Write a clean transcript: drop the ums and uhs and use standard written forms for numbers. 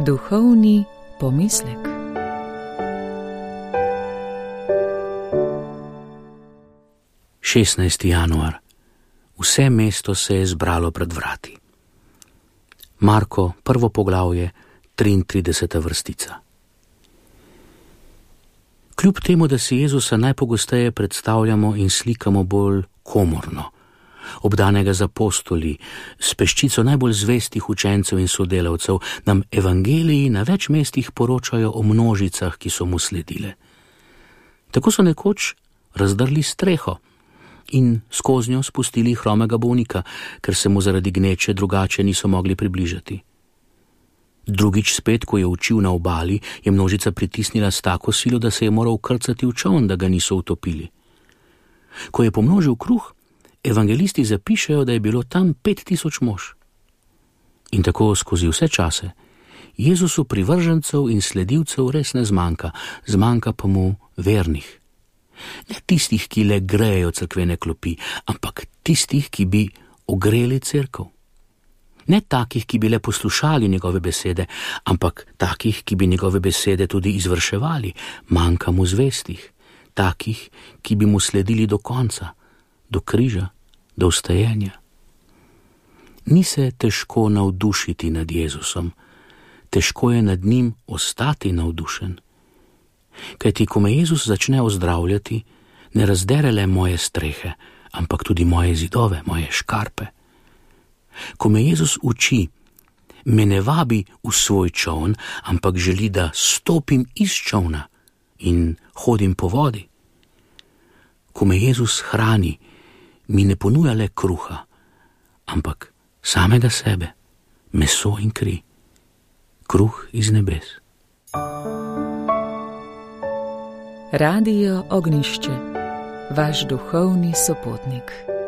Duhovni pomislek. Januar. Vse mesto se je zbralo pred vrati. Marko, 1. poglavje, 33. vrstica. Kljub temu, da si Jezusa najpogosteje predstavljamo in slikamo bolj komorno, obdanega z apostoli, s peščico najbolj zvestih učencev in sodelavcev, nam evangeliji na več mestih poročajo o množicah, ki so mu sledile. Tako so nekoč razdrli streho in skoznjo spustili hromega bolnika, ker se mu zaradi gneče drugače niso mogli približati. Drugič spet, ko je učil na obali, je množica pritisnila s tako silo, da se je moral krcati v čoln, da ga niso utopili. Ko je pomnožil kruh, evangelisti zapišejo, da je bilo tam 5000 mož. In tako skozi vse čase Jezusu privržencev in sledilcev res ne zmanjka pa mu vernih. Ne tistih, ki le grejejo cerkvene klopi, ampak tistih, ki bi ogreli cerkev. Ne takih, ki bi le poslušali njegove besede, ampak takih, ki bi njegove besede tudi izvrševali. Manjka mu zvestih, takih, ki bi mu sledili do konca, do križa, do vstajenja. Ni se težko navdušiti nad Jezusom, težko je nad njim ostati navdušen. Kajti, ko me Jezus začne ozdravljati, ne razdere le moje strehe, ampak tudi moje zidove, moje škarpe. Ko me Jezus uči, me ne vabi v svoj čoln, ampak želi, da stopim iz čolna in hodim po vodi. Ko me Jezus hrani, mi ne ponuja le kruha, ampak samega sebe, meso in kri, kruh iz nebes. Radio Ognjišče, vaš duhovni sopotnik.